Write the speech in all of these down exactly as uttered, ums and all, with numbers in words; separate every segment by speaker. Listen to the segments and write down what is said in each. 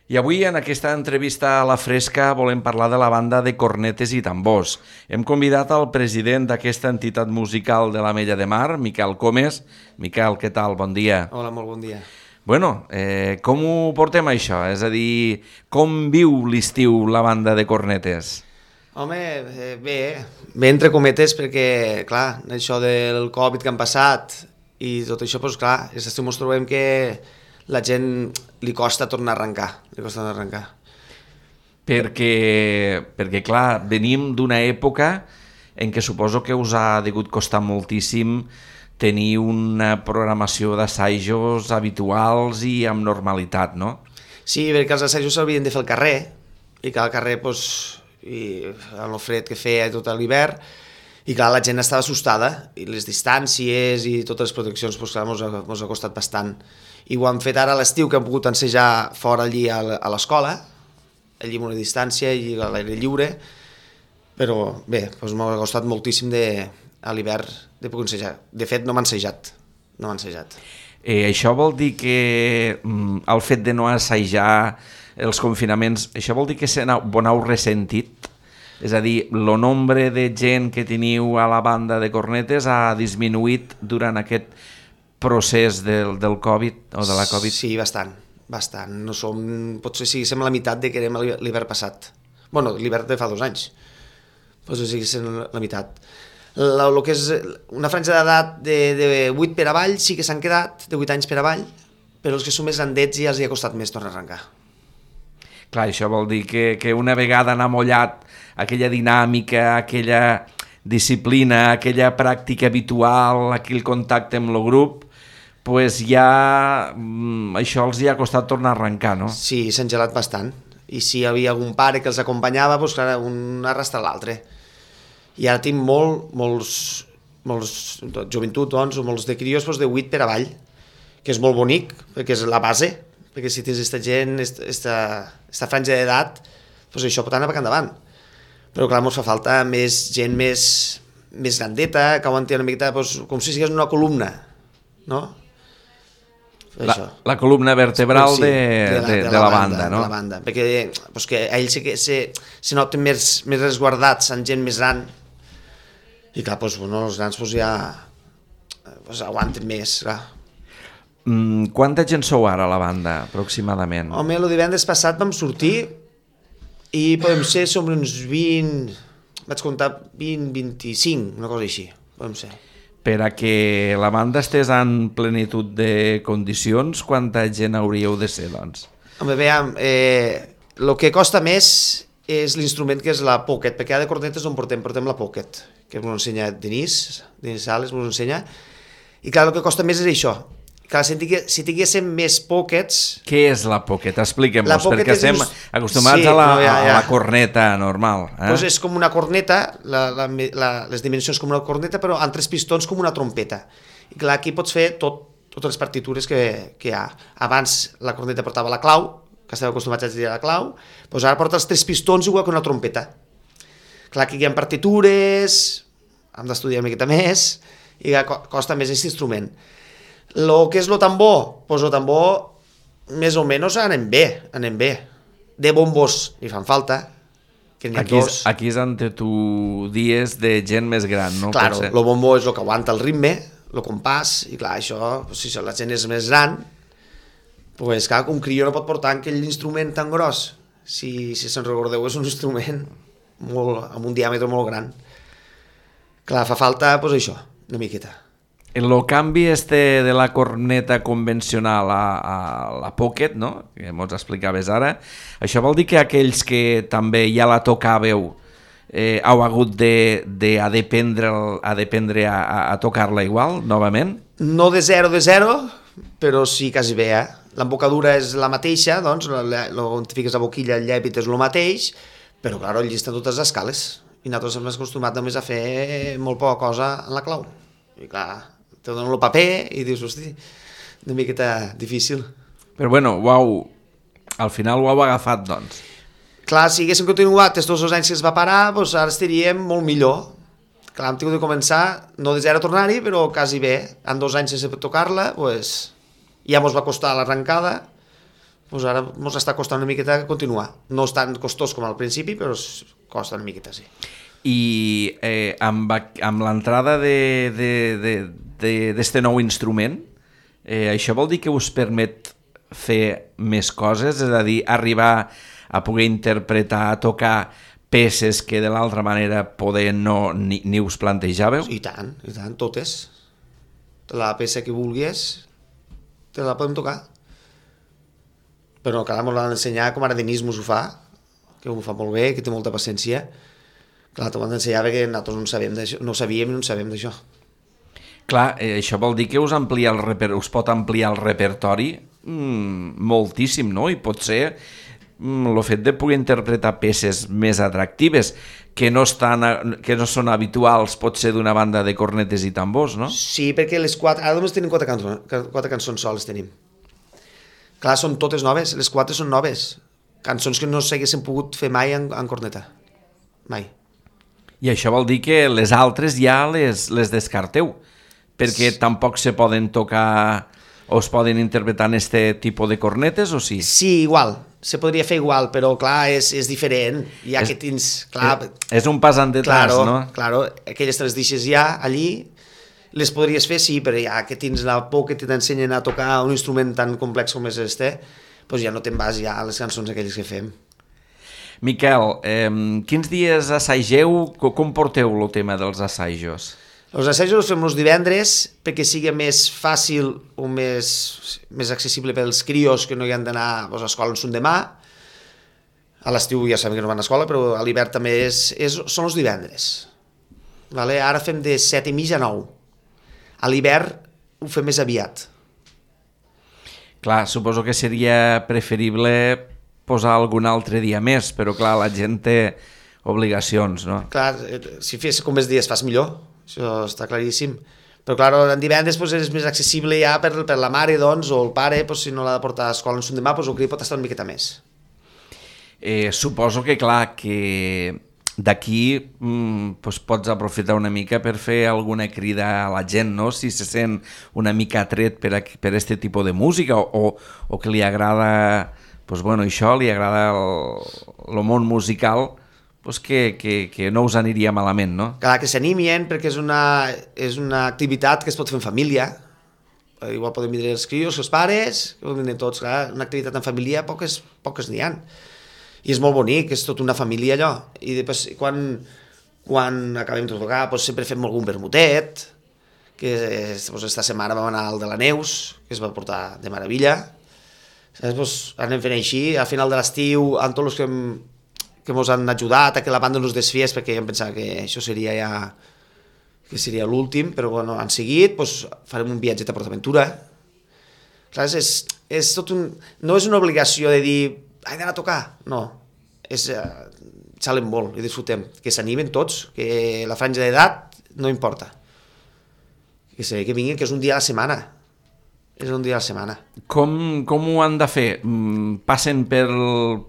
Speaker 1: I avui en aquesta entrevista a La Fresca volem parlar de la banda de cornetes i tambors. Hem convidat al president d'aquesta entitat musical de l'Ametlla de Mar, Miquel Comes. Miquel, què tal? Bon dia.
Speaker 2: Hola, molt bon dia.
Speaker 1: Bueno, eh, com ho portem això? És a dir, com viu l'estiu la banda de cornetes?
Speaker 2: Home, eh, bé, bé entre cometes perquè, clar, això del Covid que han passat i tot això, doncs clar, aquest estiu ens trobem que la gent li costa tornar a arrencar, li costa tornar a arrencar.
Speaker 1: Perquè, perquè clar, venim d'una època en què suposo que us ha degut costar moltíssim tenir una programació d'assajos habituals i amb normalitat, no?
Speaker 2: Sí, perquè els assajos s'havien de fer al carrer, i que al carrer, doncs, i amb el fred que feia tot l'hivern, i clar, la gent estava assustada, i les distàncies i totes les proteccions, doncs clar, ens ha, ens ha costat bastant. I ho han fet ara a l'estiu, que han pogut ensejar fora allí a l'escola, allí amb una distància i a l'aire lliure, però bé, doncs m'ha costat moltíssim de, a l'hivern de poder ensejar. De fet, no m'ha ensejat, no m'ha ensejat.
Speaker 1: Eh, això vol dir que mm, el fet de no assajar els confinaments, això vol dir que se n'heu ressentit? És a dir, el nombre de gent que teniu a la banda de cornetes ha disminuït durant aquest procés del, del Covid o de la Covid?
Speaker 2: Sí, bastant, bastant. No som, potser sí, som la meitat de que érem l'hivern passat. Bueno, l'hivern de fa dos anys. Potser sí que som la meitat. La, lo que és una franja d'edat de, de vuit per avall sí que s'han quedat, de vuit anys per avall, però els que són més grandets ja els hi ha costat més tornar a arrencar.
Speaker 1: Clar, això vol dir que, que una vegada han amollat aquella dinàmica, aquella disciplina, aquella pràctica habitual, aquell contacte amb el grup, pues ja això els hi ha costat tornar a arrencar, no?
Speaker 2: Sí, s'han gelat bastant. I si hi havia algun pare que els acompanyava, doncs clar, un arrastra l'altre. I ara tinc molt, molts, molts joventut, doncs, o molts de crios doncs, de vuit per avall, que és molt bonic, perquè és la base, perquè si tens aquesta gent, aquesta franja d'edat, doncs això pot anar per endavant. Però clar, ens fa falta més gent més, més grandeta, que aguanti una miqueta, doncs, com si sigués una columna, no?
Speaker 1: La, la columna vertebral
Speaker 2: sí,
Speaker 1: de,
Speaker 2: de, la,
Speaker 1: de, de, de la, la banda, banda, no?
Speaker 2: De la banda, perquè pues, que ells sí que se, se noten més, més resguardats amb gent més gran, i clar, pues, bueno, els grans pues, ja pues, aguanten més, clar.
Speaker 1: Mm, quanta gent sou ara a la banda, aproximadament?
Speaker 2: Home, el divendres passat vam sortir i podem ser sobre uns vint, vaig comptar vint, vint-i-cinc, una cosa així, podem ser.
Speaker 1: Per a que la banda estés en plenitud de condicions, quanta gent hauríeu de ser, doncs?
Speaker 2: Home, veiem, eh, el que costa més és l'instrument que és la pocket, perquè ara de cornetes no en portem, portem la pocket, que m'ho ensenya Denis, Denis Sales m'ho ensenya, i clar, el que costa més és això. Clar, si, tingués, si tinguéssim més pockets...
Speaker 1: Què és la pocket? Expliquem-nos, perquè estem
Speaker 2: just...
Speaker 1: acostumats sí, a, la, no, ja, ja. a la corneta normal. Eh?
Speaker 2: Pues és com una corneta, la, la, la, les dimensions com una corneta, però amb tres pistons com una trompeta. I clar, aquí pots fer tot, totes les partitures que, que hi ha. Abans la corneta portava la clau, que estava acostumats a dir la clau, doncs ara porta els tres pistons igual que una trompeta. Clar, aquí hi ha partitures, hem d'estudiar una miqueta més, i costa més aquest instrument. Lo que és lo tambor, pues lo tambor més o menys anem bé, anem bé. De bombos ni fan falta, que n'hi ha
Speaker 1: aquí
Speaker 2: dos.
Speaker 1: És, aquí és on tu dies de gent més gran, no?
Speaker 2: Claro, el bombo és el que aguanta el ritme, el compàs, i clar, això, pues, si la gent és més gran, pues clar, un crió no pot portar aquell instrument tan gros. Si, si se'n recordeu, és un instrument molt, amb un diàmetre molt gran. Clar, fa falta, pues això, una miqueta.
Speaker 1: El canvi este de la corneta convencional a, a la pocket, no? Que mos explicaves ara, això vol dir que aquells que també ja la tocàveu eh, heu hagut de, de a dependre, a, dependre a, a tocar-la igual, novament?
Speaker 2: No de zero de zero, però sí quasi bé, eh? L'embocadura és la mateixa, doncs, on fiques la boquilla, el llèpit és el mateix, però clar, el llista totes les escales, i nosaltres hem acostumat només a fer molt poca cosa en la clau. I clar, te donen el paper i dius, hosti, una miqueta difícil.
Speaker 1: Però bueno, uau, al final ho heu agafat, doncs.
Speaker 2: Clar, si haguéssim continuat aquests dos anys que es va parar, doncs ara estaríem molt millor. Clar, hem tingut de començar, no de zero a tornar-hi, però quasi bé. En dos anys sense tocar-la, doncs, ja ens va costar l'arrencada, Pues ara ens està costant una miqueta continuar. No és tan costós com al principi, però costa una miqueta, sí.
Speaker 1: I eh, amb, amb l'entrada d'este nou instrument, eh, això vol dir que us permet fer més coses? És a dir, arribar a poder interpretar, a tocar peces que de l'altra manera poder no ni, ni us plantejàveu?
Speaker 2: I tant, i tant, totes. La peça que vulguis te la podem tocar. Però clar, ens l'han d'ensenyar com ara Denis mos ho fa, que ho fa molt bé, que té molta paciència. Clar, t'ho han d'ensenyar perquè nosaltres no, sabem no sabíem i no sabem d'això.
Speaker 1: Clar, eh, això vol dir que us, amplia el reper us pot ampliar el repertori mm, moltíssim, no? I pot ser mm, el fet de poder interpretar peces més atractives que no, estan, que no són habituals, pot ser d'una banda de cornetes i tambors, no?
Speaker 2: Sí, perquè les quatre... Ara només tenim quatre, cançons, quatre cançons soles tenim. Clar, són totes noves, les quatre són noves. Cançons que no s'haguessin pogut fer mai en, en corneta. Mai.
Speaker 1: I això vol dir que les altres ja les, les descarteu, perquè sí. Tampoc se poden tocar o es poden interpretar en este tipus de cornetes, o sí?
Speaker 2: Sí, igual. Se podria fer igual, però clar, és, és diferent. Ja és, que tens... Clar,
Speaker 1: és un pas en detrás,
Speaker 2: claro,
Speaker 1: no?
Speaker 2: Claro, aquelles te les deixes ja allí, les podries fer, sí, però ja que tens la por que t'ensenyen a tocar un instrument tan complex com és este, doncs ja no te'n vas ja a les cançons aquelles que fem.
Speaker 1: Miquel, eh, quins dies assageu? Com porteu el tema dels assajos?
Speaker 2: Els assajos els fem els divendres perquè sigui més fàcil o més, més accessible pels crios que no hi han d'anar doncs, a escola en son demà. A l'estiu ja sabem que no van a escola, però a l'hivern també és, és, són els divendres. Vale? Ara fem de set i mitja a nou. A l'hivern ho fem més aviat.
Speaker 1: Clar, suposo que seria preferible posar algun altre dia més, però clar, la gent té obligacions, no?
Speaker 2: Clar, si fes com més dies fas millor, això està claríssim. Però clar, en divendres doncs, és més accessible ja per, per la mare, doncs, o el pare, doncs, si no l'ha de portar a escola en son demà, doncs, el cri pot estar una miqueta més.
Speaker 1: Eh, suposo que clar, que d'aquí mm, doncs pots aprofitar una mica per fer alguna crida a la gent, no? Si se sent una mica atret per, a, per este tipus de música o, o que li agrada, doncs, bueno, això, li agrada el, el món musical, doncs que, que, que no us aniria malament, no?
Speaker 2: Clar, que s'animien perquè és una, és una activitat que es pot fer en família. Igual podem vindre els crios, els pares, que poden venir tots, clar, una activitat en família poques, poques n'hi ha. I és molt bonic, és tota una família allò. I després, quan, quan acabem de tocar, doncs sempre fem algun vermutet, que doncs, esta setmana vam anar al de la Neus, que es va portar de meravella. Doncs anem fent així, al final de l'estiu, amb tots els que, hem, que ens han ajudat a que la banda no es desfiés, perquè jo em pensava que això seria ja que seria l'últim, però bueno, han seguit, doncs farem un viatge a PortAventura. Clar, és, és tot un, no és una obligació de dir he d'anar a tocar, no, és, uh, xalen molt i disfrutem, que s'animen tots, que la franja d'edat no importa, que, sé, que vinguin, que és un dia a la setmana, és un dia a la setmana.
Speaker 1: Com, com ho han de fer? Passen pel,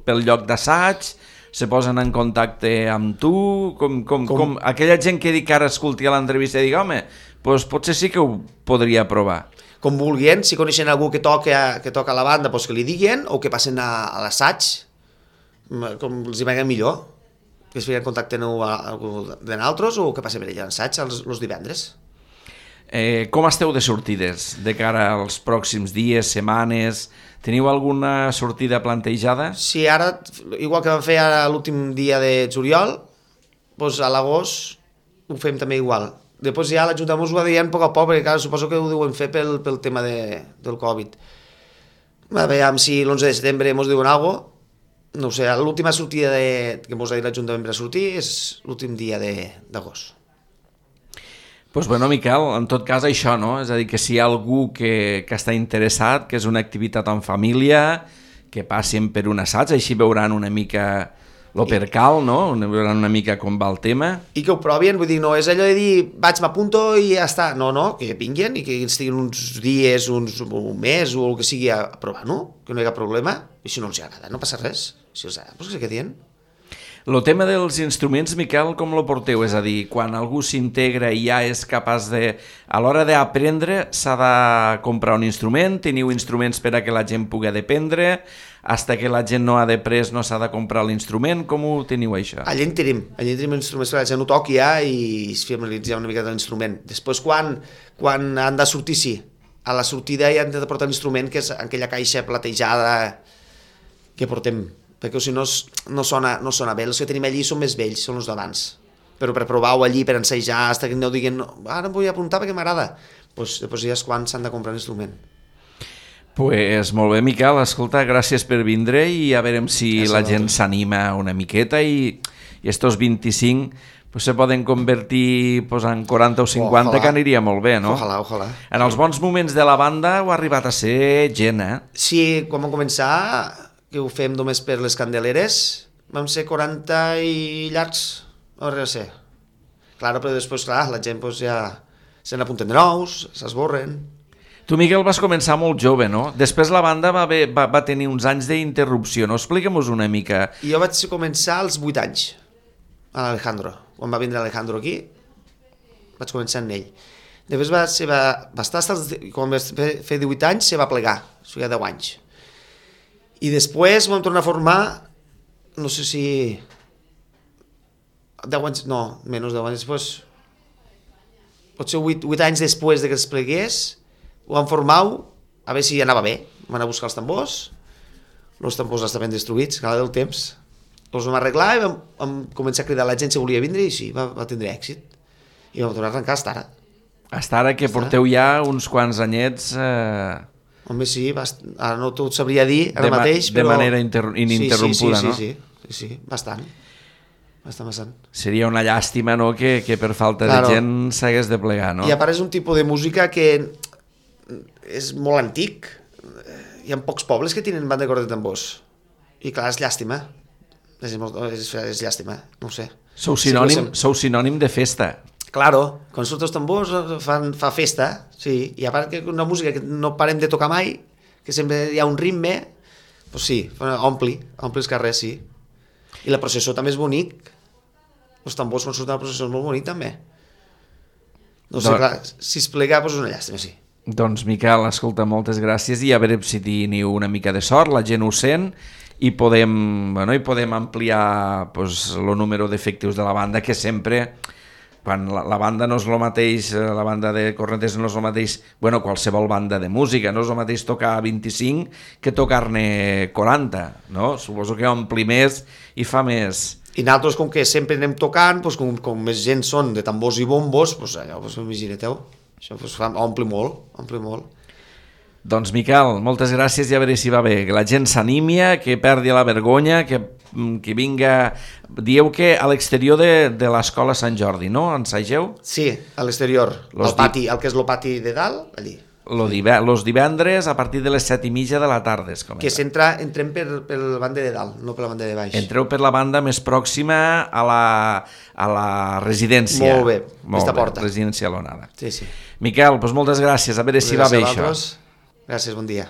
Speaker 1: pel lloc d'assaig, se posen en contacte amb tu, com, com, com? com aquella gent que dic que ara escolti a l'entrevista i digui, home, doncs potser sí que ho podria provar.
Speaker 2: Com vulguin, si coneixen algú que toca, que toca a la banda, doncs que li diguin, o que passen a, a l'assaig, com els hi vagin millor, que es fiquen en contacte amb algú de nosaltres, o que passen per allà a l'assaig els, els divendres.
Speaker 1: Eh, com esteu de sortides de cara als pròxims dies, setmanes? Teniu alguna sortida plantejada?
Speaker 2: Sí, ara, igual que vam fer ara l'últim dia de juliol, doncs a l'agost ho fem també igual. Després ja l'Ajuntament us ho va dient a poc a poc, perquè clar, suposo que ho deuen fer pel, pel tema de, del Covid. A veure si l'onze de setembre ens diuen alguna cosa. No ho sé, l'última sortida de, que ens ha dit l'Ajuntament per a sortir és l'últim dia d'agost.
Speaker 1: Doncs pues bueno, Miquel, en tot cas això, no? És a dir, que si hi ha algú que, que està interessat, que és una activitat en família, que passin per un assaig, així veuran una mica lo percal, no? Veuran una mica com va el tema.
Speaker 2: I que ho provin, vull dir, no és allò de dir vaig, m'apunto i ja està. No, no, que vinguin i que estiguin uns dies, uns, un mes o el que sigui a provar, no? Que no hi ha cap problema. I si no els agrada, no passa res. Si els agrada, doncs que se quedin.
Speaker 1: El tema dels instruments, Miquel, com lo porteu? És a dir, quan algú s'integra i ja és capaç de... A l'hora d'aprendre s'ha de comprar un instrument, teniu instruments per a que la gent pugui aprendre, hasta que la gent no ha d'après no s'ha de comprar l'instrument, com ho teniu això?
Speaker 2: Allà en tenim, allà en tenim instruments que la gent ho toqui ja i es familiaritza una mica de l'instrument. Després, quan, quan han de sortir, sí, a la sortida ja han de portar l'instrument, que és aquella caixa platejada que portem, perquè si no, no, sona, no sona bé. Els que tenim allí són més vells, són els d'abans. Però per provar-ho allí, per ensejar, fins que no diguen no, ara em vull apuntar perquè m'agrada, pues, després ja és quan s'han de comprar l'instrument.
Speaker 1: Pues molt bé, Miquel, escolta, gràcies per vindre i a veure si ja la gent s'anima una miqueta i, i estos vint-i-cinc pues, se poden convertir pues, en quaranta o cinquanta, ojalà, que aniria molt bé, no?
Speaker 2: Ojalà, ojalà.
Speaker 1: En els bons moments de la banda ho ha arribat a ser gent, eh?
Speaker 2: Sí, quan vam començar, que ho fem només per les Candeleres, vam ser quaranta i llargs, no res a ser. Clar, però després, clar, la gent pues, ja se n'apunten de nous, s'esborren.
Speaker 1: Tu, Miquel, vas començar molt jove, no? Després la banda va, haver, va, va tenir uns anys d'interrupció, no? Explica'm-nos una mica.
Speaker 2: I jo vaig començar als vuit anys, a l'Alejandro. Quan va vindre l'Alejandro aquí, vaig començar amb ell. Després va, se va, va estar, quan va fer divuit anys, se va plegar, o sigui, deu anys. I després vam tornar a formar, no sé si... deu anys, no, menys deu anys després, potser vuit anys després de que es plegués, ho vam formar, a veure si anava bé. Vam anar a buscar els tambors, els tambors estaven destruïts, cada del temps. Els vam arreglar i vam, vam començar a cridar a la gent si volia vindre i sí, va, va tindre èxit. I vam tornar a arrencar fins ara.
Speaker 1: Fins ara que porteu ja uns quants anyets... Eh...
Speaker 2: Home, sí, bast... ara no t'ho sabria dir ara
Speaker 1: de
Speaker 2: mateix,
Speaker 1: però...
Speaker 2: De
Speaker 1: manera inter... ininterrompuda,
Speaker 2: sí, sí, sí,
Speaker 1: no?
Speaker 2: Sí, sí, sí, sí, bastant. Bastant, bastant.
Speaker 1: Seria una llàstima, no?, que, que per falta claro. de gent s'hagués de plegar, no?
Speaker 2: I a part és un tipus de música que és molt antic. Hi ha pocs pobles que tenen banda de corda de tambors. I clar, és llàstima. És, és, és llàstima, no ho sé.
Speaker 1: Sou sinònim, sí, sou sinònim de festa.
Speaker 2: Claro, quan surten els tambors fan, fa festa, sí, i a part que una música que no parem de tocar mai, que sempre hi ha un ritme, doncs sí, ompli, ompli els carrers, sí. I la processó també és bonic, els tambors quan surten a la processó és molt bonic també. No sé, doncs, clar, si es plega, doncs és una llàstima, sí.
Speaker 1: Doncs Miquel, escolta, moltes gràcies i a veure si teniu una mica de sort, la gent ho sent i podem, bueno, i podem ampliar pues, el número d'efectius de la banda, que sempre... quan la, la banda no és el mateix, la banda de cornetes no és el mateix, bueno, qualsevol banda de música, no és el mateix tocar vint-i-cinc que tocar-ne quaranta, no? Suposo que ompli més i fa més.
Speaker 2: I nosaltres, com que sempre anem tocant, doncs, com, com més gent són de tambors i bombos, doncs allò, doncs, imagineu, això doncs, fa, ompli molt, ompli molt.
Speaker 1: Doncs Miquel, moltes gràcies i a veure si va bé, que la gent s'anímia, que perdi la vergonya, que, que vinga... Dieu que a l'exterior de, de l'escola Sant Jordi, no? Ensageu?
Speaker 2: Sí, a l'exterior, al pati, el que és el pati de dalt, allí.
Speaker 1: Lo div- los divendres a partir de les set i mitja de la tarda es comença.
Speaker 2: Que s'entra, entrem per, per la banda de dalt, no per la banda de baix.
Speaker 1: Entreu per la banda més pròxima a la, a la residència.
Speaker 2: Molt bé, aquesta porta.
Speaker 1: Residència Lonada.
Speaker 2: Sí, sí.
Speaker 1: Miquel, doncs moltes gràcies, a veure si va bé això.
Speaker 2: Gràcies, bon dia.